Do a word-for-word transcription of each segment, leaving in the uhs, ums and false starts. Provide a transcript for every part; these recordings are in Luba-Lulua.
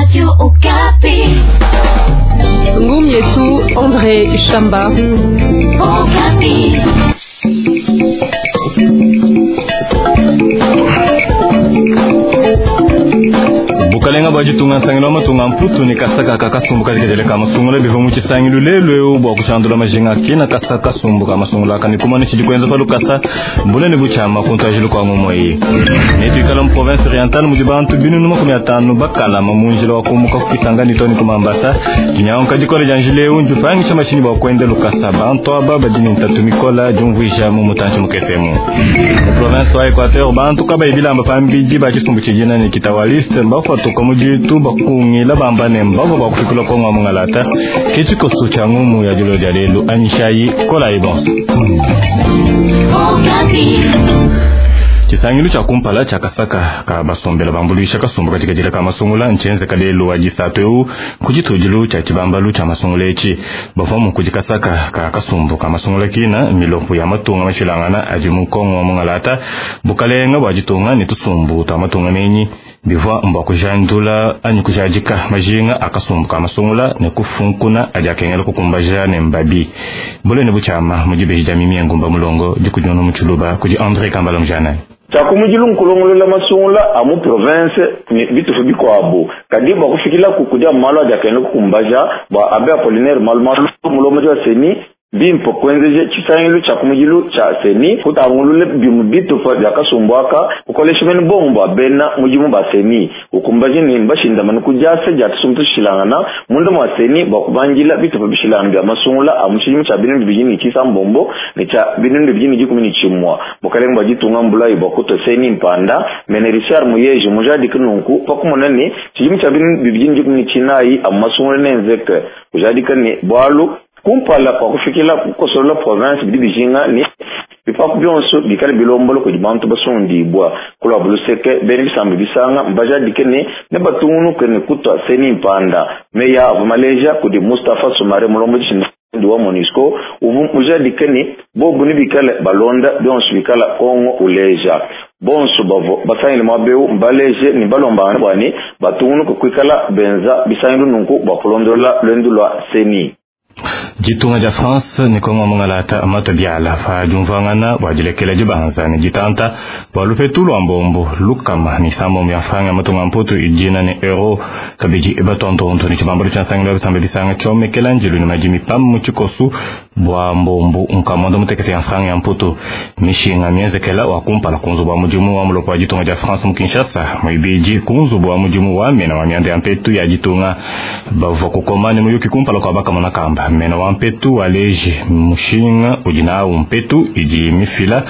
Radio Okapi. Ngumi yetu André Shamba. Okapi. Bukalenga bwa ditunga nsangilu wa matunga mputu ne kasaka ka kasumbu kadikadile ka masungula bivua mu tshisangilu lelu eu bua kushandula majinga kina kasa kasumbu ka masungula aka ne kumana tshidi kuenza pa lukasa bunene butshiama ku ntuajilu kua ngumu eyi. Netuikala mu province orientale mudi bantu binunu makumi atanu bakalama mu njila wa kumuka ku Kisangani to ne ku Mambasa. Dinyanguka dikole dia njila eu ndipangisha mashinyi bua kuenda lukasa. Bantu aba badi ne ntatu mikola diumvuija mu mutantshi mukese emu. Mu province wa Equateur bantu kabayi bilamba pambidi ba tshisumbu tshidina ne kitawaliste mbafatuka mu ditu bakungila bamba ne mbavua bakufikula kongo wa mungalata. Ke tshikoso tshia ngumu ya dilo dia lelu. Anyishayi kolayi bonso. Okapi. Tshisangilu tshia kumpala tshia kasaka ka basombela bambuluisha kasumbu katikadila ka masungula ntshienzeka lelu wa disatu eu ku tshitudilu tshia tshibambalu tshia masungula etshi. Bavua mu kudi kasaka ka kasumbu ka masungula kina milopo ya matunga mashilangana adi mu Kongo wa mungalata bukalenga bua ditunga ne tusumbu tua matunga menyi bivua mbua kujandula anyi kujadika majinga a kasumbu ka masungula ne kufunkuna adi akengela kukumbaja ne mbabi. Bulene butshiama mu dibeji dia mimi ya ngumba mulongo dikudiona mu tshiluba kudi André Kambala Mujana. Tshiakumudilu nkulongolola masungula a mu province ne bitufu bikuabu kadi bua kufikilaku kudi malu adi akengela kukumbaja bua abe Apollinaire Malumalu mulombodi wa CENI bimpe kuenzeje tshisangilu tshia kumudilu tshia CENI kutangulule bimu bitupa bia kasumbu aka kukolesha bene bongo bua bena mudimu ba CENI ukumbaje ne mbashindamane ku diasa dia tusumbu tushilangana munda mua CENI bua kubangila bitupa bishilangana bia masungula a mu tshidimu tshia binunu bibidi ne tshisambombo ne tshia binunu bibidi ne dikumi ne tshimua. Bukalenga bua ditunga mbulayi bua kutua CENI mpanda mene Richard Muyeji mujadike nunku pakumona ne tshidimu tshia binunu bibidi ne dikumi ne tshinayi a mu masungula nenzeke kujadika ne bualu kumpala kwa kufikila kukosolola province bidi bijinga ne bipapu bionso bikale bilombolo kudi bantu basundibwa kulwa buluseke bene bisambi bisanga mbajadike ne ne batungunuke ne kutwa CENI mpanda meya avua maleja kudi Mustapha Sumare mulombodi ndi wa MONUSCO uvu mujadike ne bobu ne bikale balonda bionso bikala Kongo uleja bonso bavo basangile mwabeu mbaleje ni balombangana bua ne batungunuke kuikala benza bisangilu nunku bua kulondola lwendu lwa CENI. Ditunga dia France ne Kongo mungalata mato biala pa diumvuangana bua dilekela dibanza ne ditanta bua lupetu lua mbombo lukama ne sambombo ya franga matunga mputu idina ne euro kabidi batontonto ne tshibambalu tshia nsangilu ya bisamba bisanga tshiomekela njilu ne madimi pam mu tshikosu bua mbombo nkamondo mutekete ya franga ya mputu mishinga mienzekela wa kumpala ku nzubu wa mudimu wa mulopo wa ditunga dia France mu Kinshasa muibidi ku nzubu wa mudimu wa mena wa mianda ya mpetu ya ditunga bavua kukoma ne muyuki kumpala kua bakamona kamba mena wa mpetu waleji mushinga udi nawu mpetu idi mifila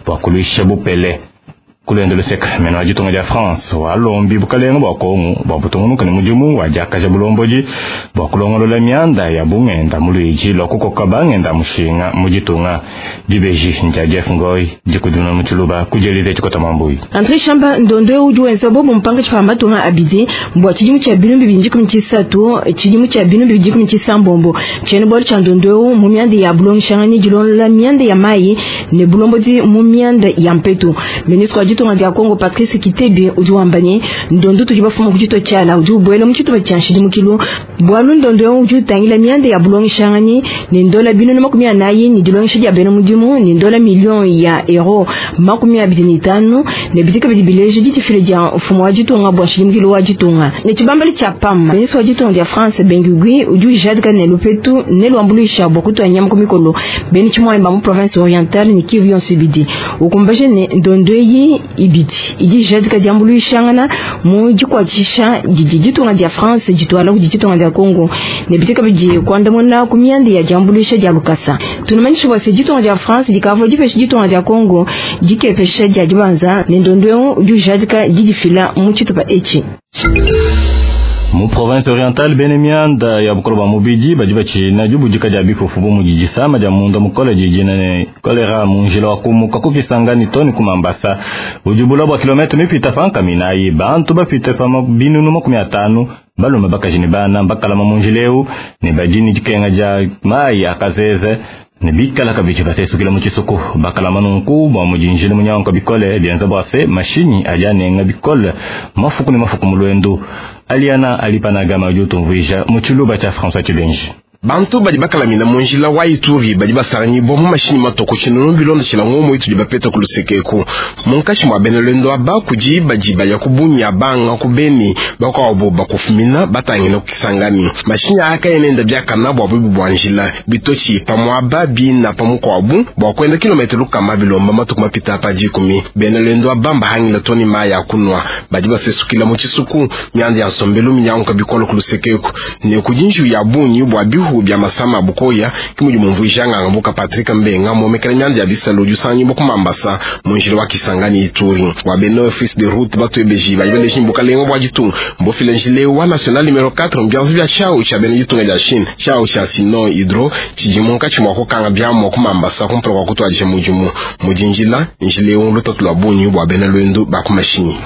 bua kuluisha bupele. Kulendo luseka mena wa ditunga dia France walombi bukalenga bua Kongo bua butungunuka ne mudimu wa diakaja bulombodi bua kulongolola mianda ya bungenda mu luidi lua kukoka bangenda mushinga mu ditunga. Dibeji ndia Jeff Ngoi dikudimuna mu tshiluba kudi Elise Tshikota Mambuyi. André Shamba ndondo udi wenza bobo mpanga tshipa matunga abidi bua tshidimu tshia binunu bibidi dikumi tshisatu tshidimu tshia binunu bibidi dikumi tshisambombo tshiena bualu tshia ndondo mu mianda ya bulongeshangani dilondola mianda ya mayi ne bulombodi mu mianda ya mpetu. Ministre wa ditunga dia Kongo Patrice Kitebi udi wamba ne ndondo tudi bafuma ku tshitupa tshiala udi ubuela mu tshitupa tshia nshidimukilu bualu ndondo udi utangila mianda ya bulongeshangani ne ndola binunu makumi anayi ne dilongesha dia bena mudimu ne ndola million ya euro makumi abidi ne itanu ne bidi kabidi bileja ditifile dia mfumu wa ditunga bua nshidimukilu wa ditunga ne tshibambalu tshia PAM. Ministre wa ditunga dia France Bengugui udi ujadika ne lupetu ne luambuluisha bua kutua nyama ku mikolo bena tshimuanyi ba mu province orientale ne Kivu yonso ibidi ukumbaje ne ndondo eyi ibidi idi jadika diambuluishangana mu dikuatshisha didi ditunga dia France dituala kudi ditunga dia Congo ne bidi kabidi kuandamuna ku mianda ya diambuluisha dia lukasa. Tunamanyisha bua se ditunga dia France dikavua dipesha ditunga dia Congo dikepesha dia dibanza ne ndondo udi ujadika didifila mu tshitupa etshi. Mu province orientale bene mianda ya bukolo bwa mubidi badi batshina dibudika dia bifufu bu mudi disama dia munda mukole didina ne kolera mu njila wa kumuka ku Kisangani to ne ku Mambasa udi bula bua kilomètre mipita pa nkaminayi bantu bapite pa binunu makumi atanu balume bakaji ne bana bakalama mu njila eu ne badi ne dikenga dia mayi akazeze Ne bikala kabidi basesukila mu tshisuku bakalama nunku bua mudinjila munyanguka bikole bienza bua se mashinyi adi anenga bikole mafuku ne mafuku mu lwendu. Aliana alipanagama udi utumvuija mu tshiluba tshia François Tshibenji. Bantu badi bakalamina mu njila wa Ituri badi basanganyibwa mu mashinyi matoko tshinunu bilondeshila ngomo itudi bapeta ku lusekeku. Munkashi mwa bena lwendo aba kudi badi baya ku Bunia, banga ku Beni, bakwabo bakufumina batangila ku Kisangani. Mashinyi aka enenda biakana bua bubi bua njila bitochi pamwaba bina pamukwabu bua kwenda kilometero lukama bilomba matuku mapita pa dikumi. Bena lwendo aba mbahangila toni maya kunwa badi basesukila mu tshisuku mianda ya nsombelu minyanguka bikolo ku lusekeku ne kudinju ya bunyi bua bihu bya masama bukoya kimudi mumvuija nganga buka Patrick Mbenga momekela myanda ya bisalo jusanyi bokumambasa munjila wa Kisangani Ituri wa beno office de route batwebeji bayibeleji mbukalengo bwa jitunga mbofile njile wa national numero quatre mbyanzi bya chao cha beno jitunga ja Chine chao cha Sino Hydro chijimunka chimwa kokanga byamo kumambasa kumpra kwa kutwaje mujimu mujinjila njile lutatu lwa bunyi bwa beno lwendo bakumashinyi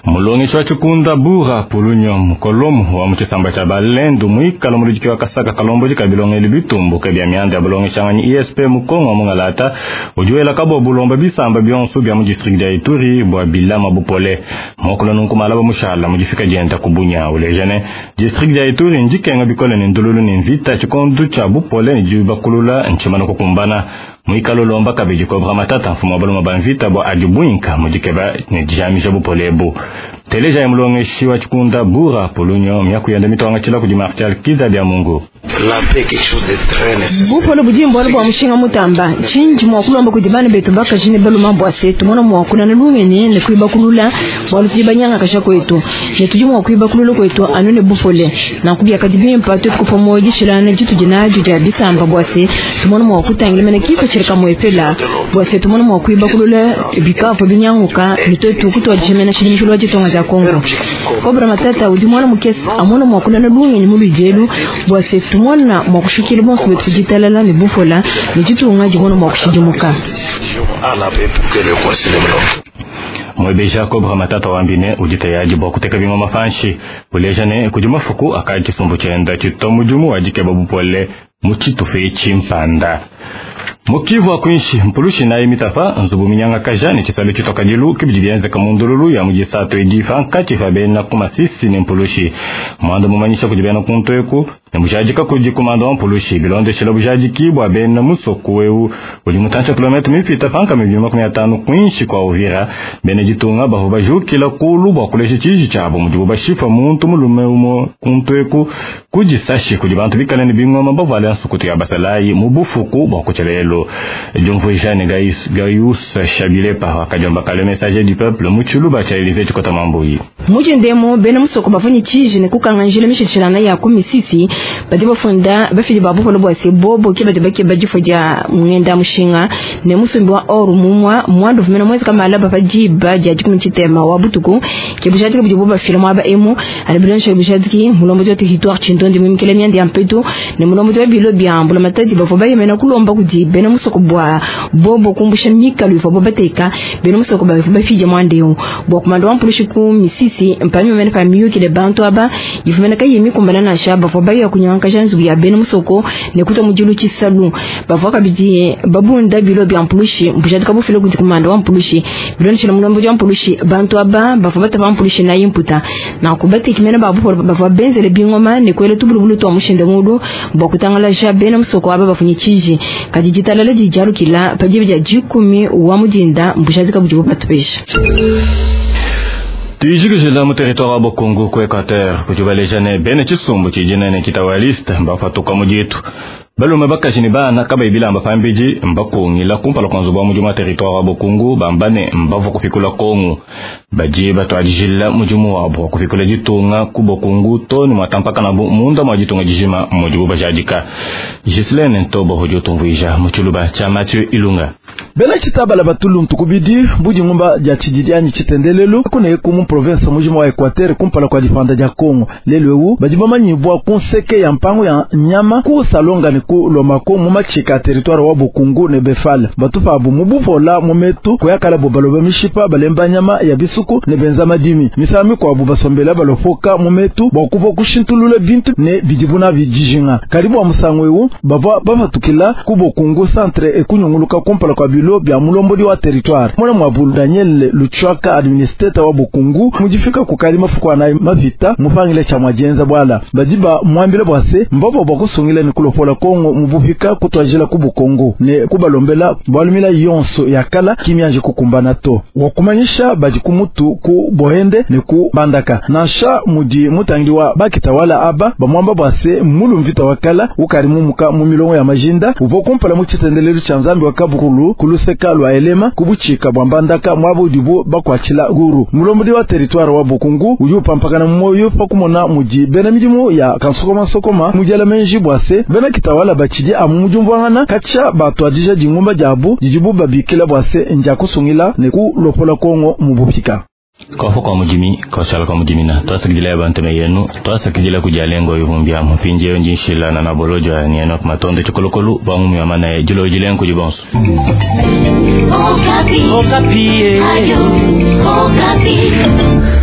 mulongi wa chikunda bura pulunyo mukolomu wa muchisamba cha balendu mwikala mulujiki wa kasaka kalombo jikabilongeli bitumbuke bya myanda ya bulongeshanganyi I S P mukongo mungalata ujuela kabo bulomba bisamba byonso bya mu district ya Ituri bwa bilama bupole mokolo nunku malaba mushala mujifika jenta kubunya ulejane district ya Ituri njikenga bikole ne ndululu ne mvita chikondu cha bupole ni jibakulula nchimano kukumbana mwikalo lomba kabiji kobra matata mfumo baloma banvita bwa ajubwinka mujikeba ne jamisha bupolebu teleja ya mulongeshi wa chikunda bura polunyo myakuyenda mitwanga chila kudi Martial Kiza bya Mungu. Bupolo budi mbwalo bwa mushinga mutamba chinji mwakulomba kudi bana betu bakajine baluma bwa setu mwana mwakula na lungene ne kuiba kulula bwalu tibanyanga kasha kwetu ne tuji mwakwiba kulula kwetu anone bupole na kubya kadibimpa tukufa moji shilana jitu jinaju ja bisamba bwa se tumona mwakutangila mena kifo chirika mwepela bwa se tumona mwakwiba kulula bikapo binyanguka nitotu kutwa jimena shilimi jitonga ja Kongo Kobra matata udi mwana mukesi amona mwakula na lungene mu bijelu bwa se tumona mwakushukila bonso betu jitalala ne bufola ne jitunga jibona mwakushidimuka mwebeja Kobra matata wambine ujitayaji bwa kuteka bimwe mafanshi ulejane kudi mafuku akaji chisumbu chenda chitomujumu wajikeba bupole muchitufe chimpanda mukivu akwinshi mpulushi naye mitafa nzubu minyanga kaja ni chisalo chitoka jilu kibidi bienzeka mundululu ya mujisato idifa nkachifa bena kumasisi ni mpulushi mwando mumanyisha kujibena kuntweku ne mujajika kuji kumando wa mpulushi bilondeshela bujajiki bwa bena musoku wewu uli mutancha kilometro mipita panka mibili makumi atano kwinshi kwa Uvira bene jitunga baho bajukila kulu bwa kulesha chiji chabo mujibu bashifa muntu mulume umo kuntweku kujisashi kuji bantu bikale ni bingoma bavala nsukutu ya basalayi mubufuku bwa kuchelelo jumvujane Gaius Gaius Shabilepa wakajomba kale message du peuple muchuluba cha Elise chikota mambuyi mujendemo bena musoko bafunyi chiji ne kukanganjila mishishilana ya kumisisi badi bafunda bafili babu polo bwa sebobo ke badi bake bajifo ja mwenda mushinga ne musumbi wa oru mumwa mwandu vumena mwezi kama alaba pajiba ja jikumi chitema wa butuku ke bushati ke bujibu bafila mwaba emu alibulansha bushati ki mulombo wa territoire chindondi mimkele myandi ya mpetu ne mulombo wa bilo byambula matadi bafo bayemena kulomba kudi bena musoko bwa bobo kumbusha mikalu ifo bobateka bena musoko ba bafije mwandeo bwa kumando wa mpulushi ku misisi mpami mena pa miyuki le bantu aba ifumena kayimi kumbana na shaba fo bayo kunyanka janzu ya bena musoko ne kuta mujulu chisalu bavwa kabidi babunda bilo bya mpulushi mbujadika bufilo kuti kumando wa mpulushi bilo nshila mulombo wa mpulushi bantu aba bafo bata pa mpulushi na imputa na kubati kimena babu bavwa benzele bingoma ne kwele tubulubulu to mushinde mudu bwa kutangala ja bena musoko aba bafunyi chiji kajijitalala jijarukila pajibi ja jikumi wa mujinda mbujadika bujibu batupesha Tujikujila mu territoire wa Bokongo ku Equateur kujubaleja bene chisumbu chijinene kitawalista mbafatuka mujitu balume bakashini bana kaba ibilamba pambiji mbakungila kumpala kwa nzubu wa mujimu wa territoire wa Bokongo bambane mbavu kupikula Kongo baje batwajijila mujimu wabo kupikula jitunga ku Bokongo toni mwatampaka na munda mwa jitunga jijima mujibu bajadika Gislaine Ntobo hojotumvuija muchuluba cha Mathieu Ilunga bena chitabala batulu ntukubidi budi ngumba ja chijidiani chitendelelu kuna ku mu province mujima wa Equateur kumpala kwa difanda ja Kongo lelo ewu badi bamanyibwa kunseke ya mpango ya nyama ku salonga ne ku Lomako mu machika territoire wa Bukungu ne Befal batupa bu mubupola mu metu kuyakala bo baloba mishipa balemba nyama ya bisuku ne benza madimi misami kwa bu basombela balopoka mu metu bwa kuva kushintulula bintu ne bidibuna bijijinga karibu wa musango ewu bava bafatukila ku Bukungu centre ekunyunguluka kumpala kwa bilo bya mulombodi wa territoire mwana mwa Daniel Luchwaka administrateur wa Bukungu mujifika kukali mafuko anayi mavita mupangile cha mwajenza bwala badiba mwambile bwase mbavo bwa kusungila ni kulopola Kongo mubupika kutwajila ku Bukongo ne kubalombela bwalumila yonso yakala kimyanje kukumbana to wakumanyisha baji kumutu ku bohende ne ku bandaka nansha mudi mutangi wa bakitawala aba bamwamba bwase mulu mvita wakala ukali mumuka mu milongo ya majinda uvo kumpala mu chitendelelo cha Nzambi wa kabukulu kuluseka lwa elema kubuchika bwa mbandaka mwabo dibo bakwachila guru mulombodi wa territoire wa Bukungu uyu pampakana moyo pakumona muji bena midimu ya kansokoma sokoma mujala menji bwase bena kitawala bachidi amu mujumvangana kacha batwadija dingumba jabu dijibu babikila bwase nja kusungila ne ku lopola Kongo mubupika kofo kwa mujimi koshala kwa mujimina twasakidila abantu meyenu twasakidila kujalengo ivumbya mpinjeyo njinshila na nabolojo ya nieno matondo chikolokolu bangu ya mana ya jilo jilengo jibonso. Okapi. Okapi. Ayo, Okapi.